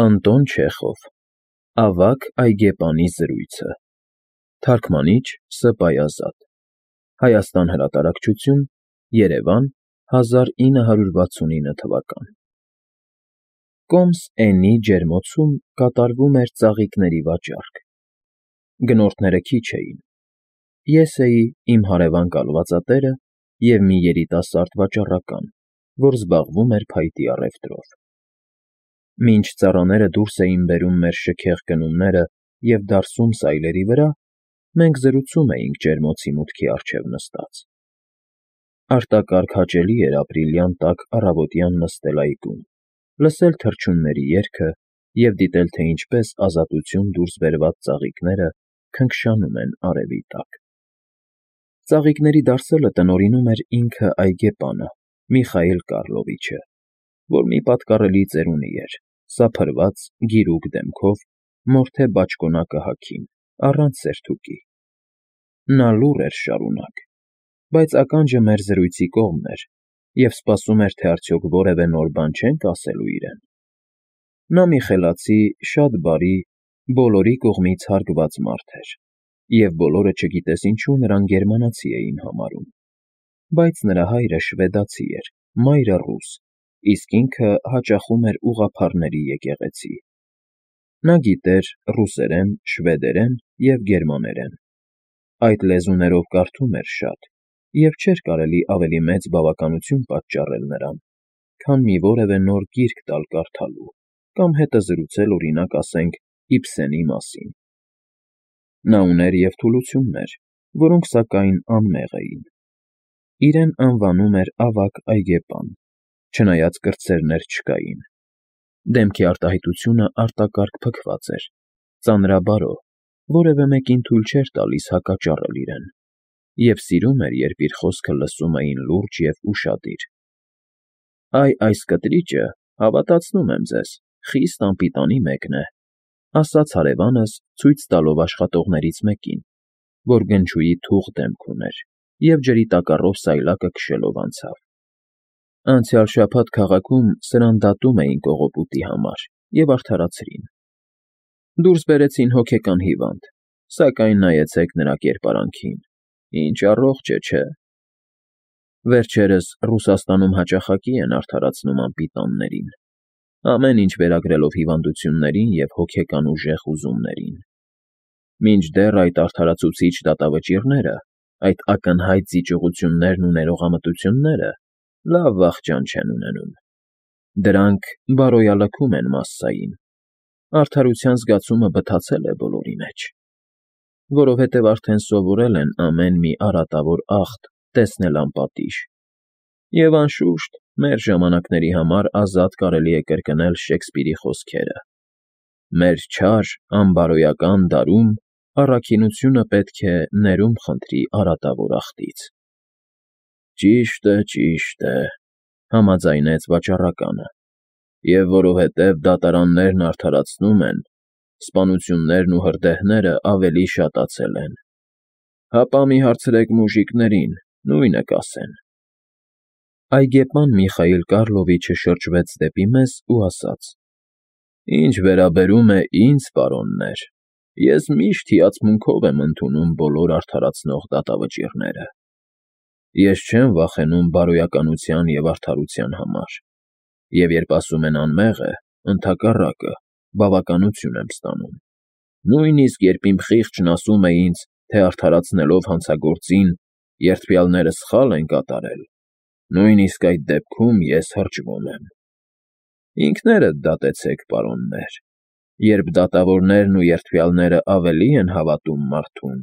Անտոն Չեխով Ավագ այգեպանի զրույցը Թարգմանիչ Ս. Բայազադ Հայաստան հրատարակչություն Երևան 1969 թվական Կոմս Էնի ջերմոցում կատարվում էր ծաղիկների վաճառք։ Գնորդները քիչ էին։ Ես էի, իմ հարևան կալվածատերը և մի երիտասարդ վաճառական, որ զբաղվում էր փայտի առևտրով։ Մինչ ծառաները դուրս էին բերում մեր շքեղ գնումները և դարսում սայլերի վրա, մենք զրուցում էինք ջերմոցի մուտքի առջև նստած։ Արտակարգ հաճելի էր ապրիլյան տաք առավոտյան նստել այգում, լսել թռչունների երգը և դիտել, թե ինչպես ազատություն դուրս բերված ծաղիկները քնքշանում են արևի տակ։ Ծաղիկների դարսելը տնօրինում էր ինքը այգեպանը՝ Միխայիլ Կառլովիչը, որ մի պատկառելի ծերունի էր, սափրված, գիրուկ դեմքով, մորթե բաճկոնակը հագին, առանց սերթուկի։ Նա լուռ էր շարունակ, բայց ականջը մեր զրույցի կողմն էր և սպասում էր, թե արդյոք որևէ նոր բան չենք ասելու իրեն։ Նա մի խելացի, շատ բարի, բոլորի կողմից հարգված մարդ էր, և բոլորը չգիտես ինչու նրան գերմանացի էին համարում, բայց նրա հայրը շվեդացի էր, մայրը՝ ռուս, իսկ ինքը հաճախում էր ուղղափառների եկեղեցի։ Նա գիտեր ռուսերեն, շվեդերեն և գերմաներեն։ Այդ լեզուներով կարդում էր շատ, և չէր կարելի ավելի մեծ բավականություն պատճառել նրան, քան մի որևէ նոր գիրք տալ կարդալու կամ հետը զրուցել, օրինակ ասենք, Իբսենի մասին։ Նա ուներ և թուլություններ, որոնք, սակայն, անմեղ էին։ Իրեն անվանում էր ավագ այգեպան, չնայած կրտսերներ չկային։ Դեմքի արտահայտությունը արտակարգ փքված էր, ծանրաբարո, որևէ մեկին թույլ չէր տալիս հակաճառել իրեն, և սիրում էր, երբ իր խոսքը լսում էին լուրջ և ուշադիր։ Այս կտրիճը, հավատացնում եմ ձեզ, խիստ անպիտանի մեկն է, ասաց հարևանս, ցույց տալով աշխատողներից մեկին, որ գնչուի թուղ դեմք ուներ և ջրի տակառով սայլակը քշելով անցավ։ Անցյալ շաբաթ քաղաքում սրան դատում էին կողոպուտի համար և արդարացրին։ Դուրս բերեցին հոգեկան հիվանդ, սակայն նայեցեք նրա կերպարանքին, ինչ առողջ է, չէ՞։ Վերջերս Ռուսաստանում հաճախակի են արդարացնում անպիտաններին, ամեն ինչ վերագրելով հիվանդություններին և հոգեկան ուժեղ հուզումներին։ Մինչդեռ այդ արդարացուցիչ դատավճիռները, այդ ակնհայտ զիջողություններն ու ներողամտությունները լավ վախճան չեն ունենում։ Դրանք բարոյալքում են մասսային, արդարության զգացումը բթացել է բոլորի մեջ, որովհետև արդեն սովորել են ամեն մի արատավոր աղտ տեսնել անպատիժ, և, անշուշտ, մեր ժամանակների համար ազատ կարելի է կրկնել Շեքսպիրի խոսքերը. «Մեր չար, անբարոյական դարում առաքինությունը պետք է ներում խնդրի արատավոր աղտից»։ Ճիշտ է, համաձայնեց վաճառականը, և որովհետև դատարաններն արդարացնում են, սպանություններն ու հրդեհները ավելի շատացել են։ Հապա մի հարցրեք մուժիկներին, նույնը կասեն։ Այգեպան Միխայիլ Կառլովիչը շրջվեց դեպի մեզ ու ասաց. «Ինչ վերաբերում է ինձ, պարոններ, ես միշտ հիացմունքով եմ ընդունում բոլոր արդարացնող դատավճիռները։ Ես չեմ վախենում բարոյականության և արդարության համար, և երբ ասում են անմեղ է, ընդհակառակը, բավականություն եմ ստանում։ Նույնիսկ երբ իմ խիղճն ասում է ինձ, թե արդարացնելով հանցագործին, երդվյալները սխալ են կատարել, նույնիսկ այդ դեպքում ես հրճվում եմ։ Ինքներդ դատեցեք, պարոններ, երբ դատավորներն ու երդվյալները ավելի են հավատում մարդուն,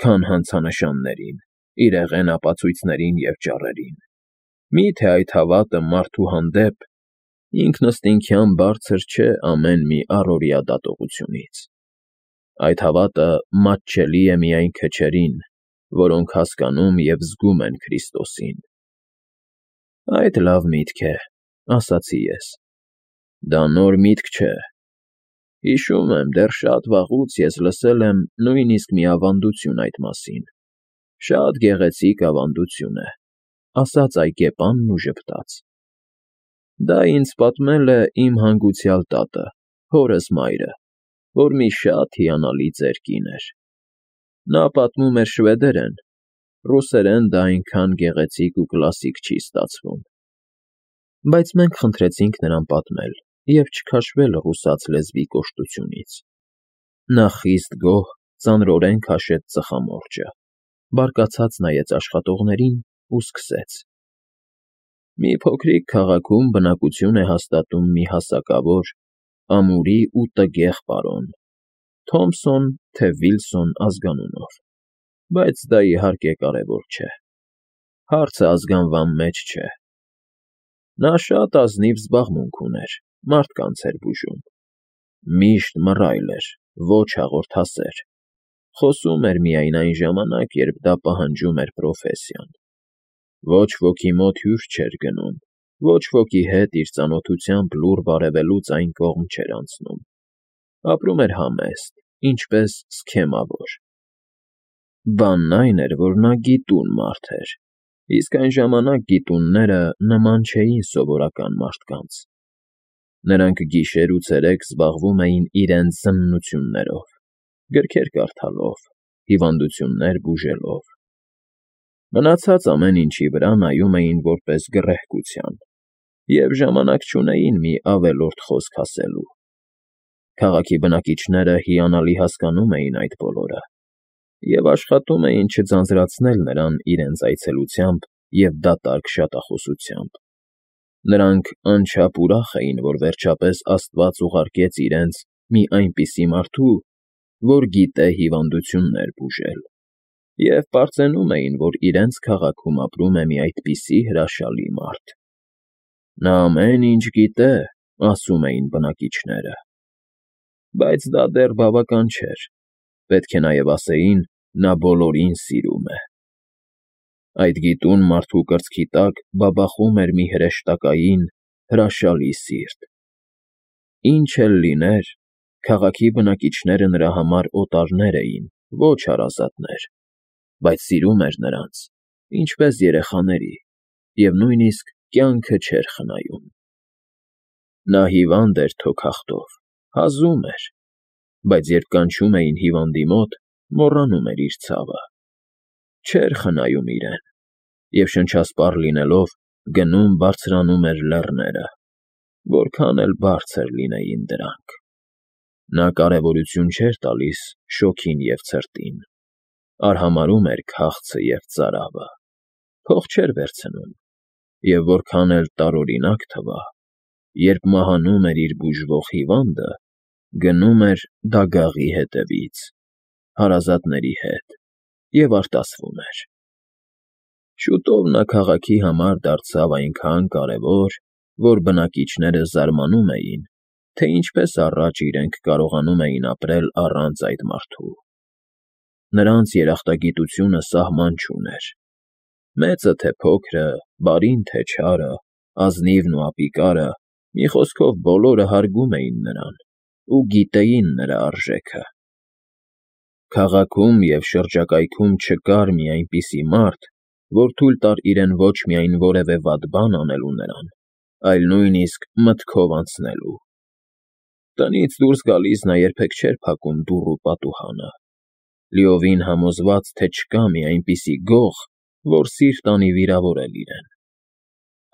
քան հանցանշաններին, իրեղեն ապացույցներին և ճառերին։ Մի՞թե այդ հավատը մարդու հանդեպ ինքնըստինքյան բարձր չէ ամեն մի առօրյա դատողությունից։ Այդ հավատը մատչելի է միայն քչերին, որոնք հասկանում և զգում են Քրիստոսին»։ Այդ լավ միտք է, ասացի ես։ Դա նոր միտք չէ։ Հիշում եմ, դեռ շատ վաղուց ես լսել եմ նույնիսկ մի ավանդություն այդ մասին։ Շատ գեղեցիկ ավանդություն է, ասաց այգեպանն ու ժպտաց։ Դա ինձ պատմել է իմ հանգուցյալ տատը, հորս մայրը, որ մի շատ հիանալի ծեր կին էր։ Նա պատմում էր շվեդերեն, ռուսերեն դա այնքան գեղեցիկ ու կլասիկ չի ստացվում։ Բայց մենք խնդրեցինք նրան պատմել և չքաշվել ռուսաց լեզվի կոշտությունից։ Նա խիստ գոհ, ծանրորեն քաշեց ծխամորճը, բարկացած նայեց աշխատողներին ու սկսեց. «Մի փոքրիկ քաղաքում բնակություն է հաստատում մի հասակավոր, ամուրի ու տգեղ պարոն, Թոմփսոն թե Վիլսոն ազգանունով, բայց դա, իհարկե, կարևոր չէ, հարցը ազգանվան մեջ չէ։ Նա շատ ազնիվ զբաղմունք ուներ, մարդկանց էր բուժում, միշտ մռայլ էր, ոչ հաղորդասեր, խոսում էր միայն այն ժամանակ, երբ դա պահանջում էր պրոֆեսիան։ Ոչ ոքի մոտ հյուր չէր գնում, ոչ ոքի հետ իր ծանոթությամբ լուռ բարևելուց այն կողմ չէր անցնում։ Ապրում էր համեստ, ինչպես սքեմավոր։ Բանն այն էր, որ նա գիտուն մարդ էր, իսկ այն ժամանակ գիտունները նման չէին սովորական մարդկանց։ Նրանք գիշեր ու ցերեկ զբաղվում էին իրենց զննություններով, գրքեր կարդալով, հիվանդություններ բուժելով։ Մնացած ամեն ինչի վրա նայում էին որպես գռեհկության և ժամանակ չունեին մի ավելորդ խոսք ասելու։ Քաղաքի բնակիչները հիանալի հասկանում էին այդ բոլորը և աշխատում էին չձանձրացնել նրան իրենց այցելությամբ և դատարկ շատախոսությամբ։ Նրանք անչափ ուրախ էին, որ վերջապես Աստված ուղարկեց իրենց մի այնպիսի մարդու, որ գիտե հիվանդություններ բուժել, և պարծենում էին, որ իրենց քաղաքում ապրում է մի այդպիսի հրաշալի մարդ։ Նա ամեն ինչ գիտե, ասում էին բնակիչները։ Բայց դա դեռ բավական չէր, պետք է նաև ասեին, նա բոլորին սիրում է։ Այդ գիտուն մարդու կրծքի տակ բաբախում էր մի հրեշտակային, հրաշալի սիրտ։ Ինչ էլ լիներ, քաղաքի բնակիչները նրա համար օտարներ էին, ոչ հարազատներ, բայց սիրում էր նրանց, ինչպես երեխաների, և նույնիսկ կյանքը չէր խնայում։ Նա հիվանդ էր թոքախտով, հազում էր, բայց երբ կանչում էին հիվանդի մոտ, մոռանում էր իր ցավը, չէր խնայում իրեն, և շնչասպառ լինելով գնում բարձրանում էր լեռները, որքան էլ բարձր լինեին դրանք։ Նա կարևորություն չէր տալիս շոգին և ցրտին, արհամարհում էր քաղցը և ծարավը, փող չէր վերցնում, և որքան էլ տարօրինակ թվա, երբ մահանում էր իր բուժվող հիվանդը, գնում էր դագաղի հետևից, հարազատների հետ և արտասվում էր։ Շուտով նա քաղաքի համար դարձավ այնքան կարևոր, որ բնակիչները զարմանում էին, թե ինչպես առաջ իրենք կարողանում էին ապրել առանց այդ մարդու։ Նրանց երախտագիտությունը սահման չուներ։ Մեծը թե փոքրը, բարին թե չարը, ազնիվն ու ապիկարը, մի խոսքով բոլորը հարգում էին նրան ու գիտեին նրա արժեքը։ Քաղաքում և շրջակայքում չկար մի այնպիսի մարդ, որ թույլ տար իրեն ոչ միայն որևէ վատ բան անելու նրան, այլ նույնիսկ մտքով անցնելու։ Տնից դուրս գալիս նա երբեք չէր փակում դուռ ու պատուհանը, լիովին համոզված, թե չկա մի այնպիսի գող, որ սիրտ անի վիրավորել իրեն։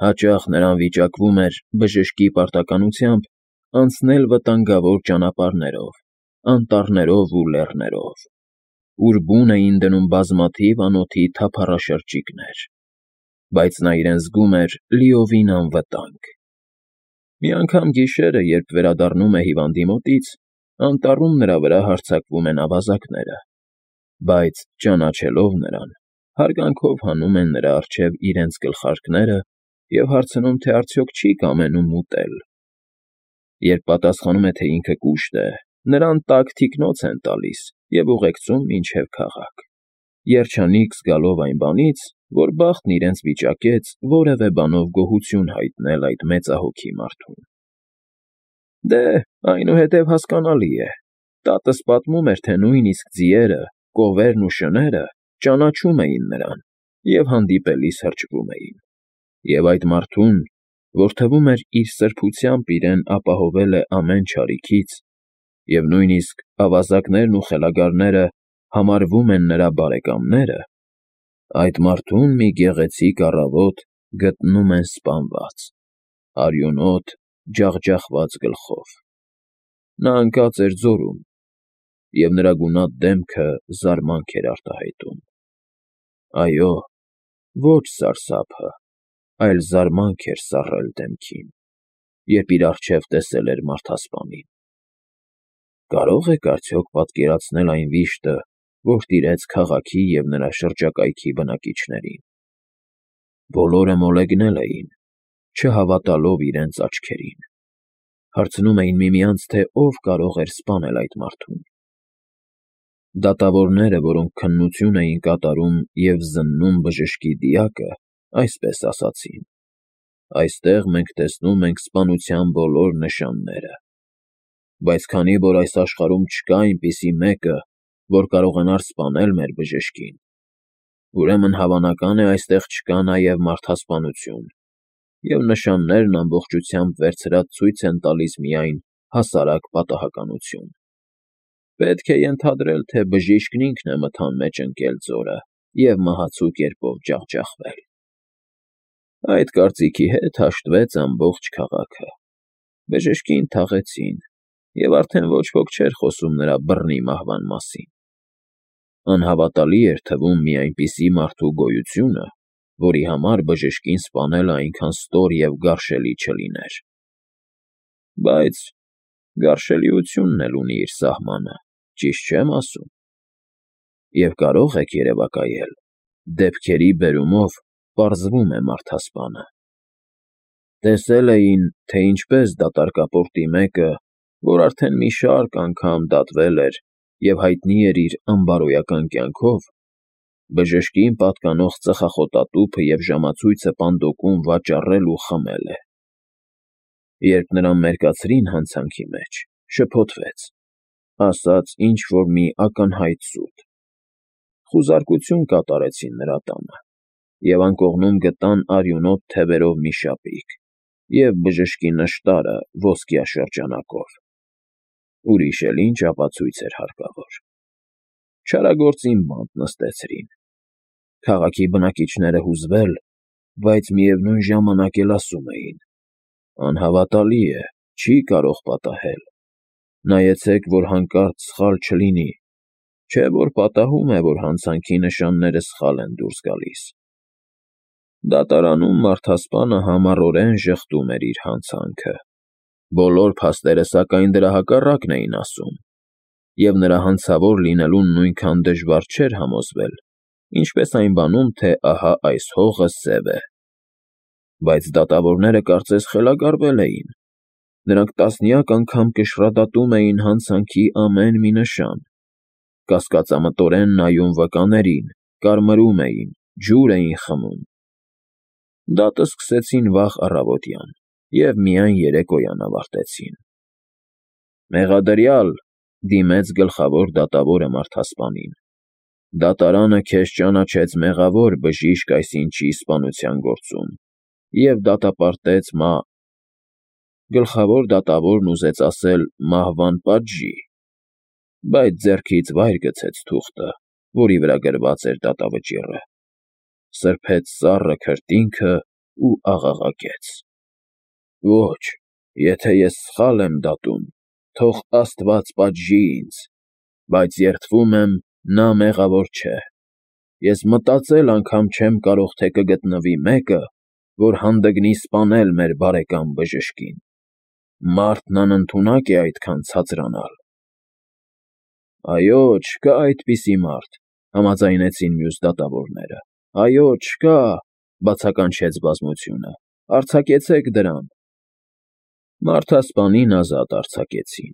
Հաճախ նրան վիճակվում էր բժշկի պարտականությամբ անցնել վտանգավոր ճանապարհներով, անտառներով ու լեռներով, ուր բուն էին դնում բազմաթիվ անոթի թափառաշրջիկներ, բայց նա իրեն զգում էր լիովին անվտանգ։ Մի անգամ գիշերը, երբ վերադառնում է հիվանդի մոտից, անտառում նրա վրա հարձակվում են ավազակները, բայց, ճանաչելով նրան, հարգանքով հանում են նրա առջև իրենց գլխարկները և հարցնում, թե արդյոք չի կամենում ուտել։ Երբ պատասխանում է, թե ինքը կուշտ է, նրան տաք թիկնոց են տալիս և ուղեկցում մինչև քաղաք, երջանիկ զգալով այն բանից, որ բախտն իրենց վիճակեց որևէ բանով գոհություն հայտնել այդ մեծահոգի մարդուն։ Դե, այնուհետև հասկանալի է, տատս պատմում էր, թե նույնիսկ ձիերը, կովերն ու շները ճանաչում էին նրան և հանդիպելիս հրճվում էին, և այդ մարդուն, որ թվում էր իր սրբությամբ իրեն ապահովել է ամեն չարիքից, և նույնիսկ ավազակներն ու խելագարները համարվում են նրա բարեկամները, այդ մարդուն մի գեղեցիկ առավոտ գտնում են սպանված, արյունոտ, ջախջախված գլխով։ Նա ընկած էր ձորում, և նրա գունատ դեմքը զարմանք էր արտահայտում։ Այո, ոչ սարսափը, այլ զարմանք էր սառել դեմքին, երբ իր առջև տեսել էր մարդասպանին։ Կարո՞ղ եք արդյոք պատկերացնել այն վիշտը, որ տիրեց քաղաքի և նրա շրջակայքի բնակիչներին։ Բոլորը մոլեգնել էին, չհավատալով իրենց աչքերին։ Հարցնում էին միմյանց, թե ով կարող էր սպանել այդ մարդուն։ Դատավորները, որոնք քննություն էին կատարում և զննում բժշկի դիակը, այսպես ասացին. «Այստեղ մենք տեսնում ենք սպանության բոլոր նշանները։ Բայց քանի որ այս աշխարհում չկա այնպիսի մեկը, որ կարողանար սպանել մեր բժշկին, ուրեմն հավանական է այստեղ չկա նաև մարդասպանություն, և նշաններն ամբողջությամբ վերցրած ցույց են տալիս միայն հասարակ պատահականություն։ Պետք է ենթադրել, թե բժիշկն ինքն է մթան մեջ ընկել ձորը և մահացու կերպով ջախջախվել»։ Այդ կարծիքի հետ հաշտվեց ամբողջ քաղաքը։ Բժշկին թաղեցին, և արդեն ոչ ոք չէր խոսում նրա բռնի մահվան մասին։ Անհավատալի էր թվում մի այնպիսի մարդու գոյությունը, որի համար բժշկին սպանելը այնքան ստոր և գարշելի չլիներ։ Բայց գարշելիությունն էլ ունի իր սահմանը, ճիշտ չե՞մ ասում։ Եվ կարո՞ղ եք երևակայել, դեպքերի բերումով պարզվում է մարդասպանը։ Տեսել էին, թե ինչպես դատարկապորտի մեկը, որ արդեն մի շարք անգամ դատվել էր և հայտնի էր իր անբարոյական կյանքով, բժշկին պատկանող ծխախոտատուփը և ժամացույցը պանդոկում վաճառել ու խմել է։ Երբ նրան մերկացրին հանցանքի մեջ, շփոթվեց, ասաց ինչ֊որ մի ակնհայտ սուտ։ Խուզարկություն կատարեցին նրա տանը և անկողնում գտան արյունոտ թևերով մի շապիկ և բժշկի նշտարը ոսկյա շրջանակով։ Ուրիշ էլ ինչ ապացույց էր հարկավոր։ Չարագործին բանտ նստեցրին։ Քաղաքի բնակիչները հուզվել, բայց միևնույն ժամանակ էլ ասում էին. «Անհավատալի է, չի կարող պատահել։ Նայեցեք, որ հանկարծ սխալ չլինի, չէ՞ որ պատահում է, որ հանցանքի նշանները սխալ են դուրս գալիս»։ Դատարանում մարդասպանը համառորեն ժխտում էր իր հանցանքը։ Բոլոր փաստերը, սակայն, դրա հակառակն էին ասում, և նրա հանցավոր լինելուն նույնքան դժվար չէր համոզվել, ինչպես այն բանում, թե ահա այս հողը սև է։ Բայց դատավորները կարծես խելագարվել էին։ Նրանք տասնյակ անգամ կշռադատում էին հանցանքի ամեն մի նշան, կասկածամտորեն նայում վկաներին, կարմրում էին, ջուր էին խմում։ Դատը սկսեցին վաղ առավոտյան և միայն երեկոյան ավարտեցին։ «Մեղադրյալ», դիմեց գլխավոր դատավորը մարդասպանին, «դատարանը քեզ ճանաչեց մեղավոր բժիշկ այսինչի սպանության գործում և դատապարտեց Գլխավոր դատավորն ուզեց ասել «մահվան պատժի», բայց ձեռքից վայր գցեց թուղթը, որի վրա գրված էր դատավճիռը, սրբեց սառը քրտինքը ու աղաղակեց. «Ոչ, եթե ես սխալ եմ դատում, թող Աստված պատժի ինձ, բայց երդվում եմ, նա մեղավոր չէ։ Ես մտածել անգամ չեմ կարող, թե կգտնվի մեկը, որ հանդգնի սպանել մեր բարեկամ բժշկին։ Մարդն անընդունակ է այդքան ցածրանալ»։ «Այո, չկա այդպիսի մարդ», համաձայնեցին մյուս դատավորները։ «Այո, չկա», բացականչեց բազմությունը։ «Արձակեցեք դրան»։ Մարդասպանին ազատ արձակեցին,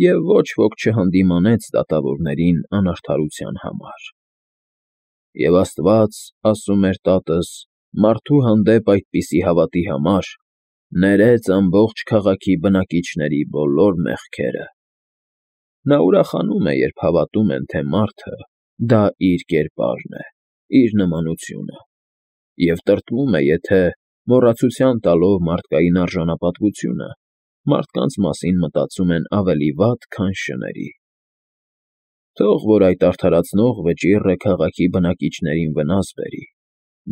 և ոչ ոք չհանդիմանեց դատավորներին անարդարության համար։ Եվ Աստված, ասում էր տատս, մարդու հանդեպ այդպիսի հավատի համար ներեց ամբողջ քաղաքի բնակիչների բոլոր մեղքերը։ Նա ուրախանում է, երբ հավատում են, թե մարդը դա իր կերպարն է, իր նմանությունը, և տրտմում է, եթե Մոռացության տալով մարդկային արժանապատվությունը, մարդկանց մասին մտածում են ավելի վատ, քան շների։ Թող որ այդ արդարացնող վճիռը քաղաքի բնակիչներին վնաս բերի,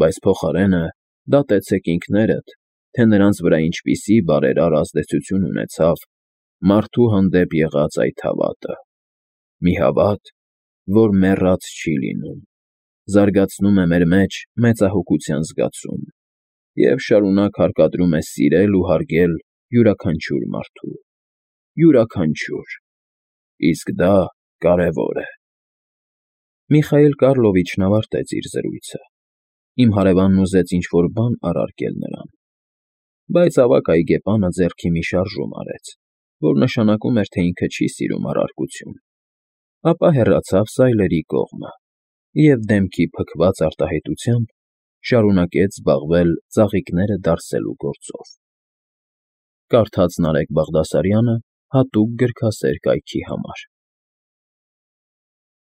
բայց փոխարենը դատեցեք ինքներդ, թե նրանց վրա ինչպիսի բարերար ազդեցություն ունեցավ մարդու հանդեպ եղած այդ հավատը։ Մի հավատ, որ մեռած չի լինում, զարգացնում է մեր մեջ մեծահոգության զգացում և շարունակ հարկադրում է սիրել ու հարգել յուրաքանչյուր մարդու, յուրաքանչյուր, իսկ դա կարևոր է։ Միխայել Կառլովիչն ավարտեց իր զրույցը։ Իմ հարևանն ուզեց ինչ֊որ բան առարկել նրան, բայց ավագ այգեպանը ձեռքի մի շարժում արեց, որ նշանակում էր, թե ինքը չի սիրում առարկություն, ապա հեռացավ սայլերի կողմը և դեմքի փքված արտահայտությամբ շարունակեց զբաղվել ծաղիկները դարսելու գործով։ Կարդաց Նարեկ Բաղդասարյանը հատուկ գրքասեր կայքի համար։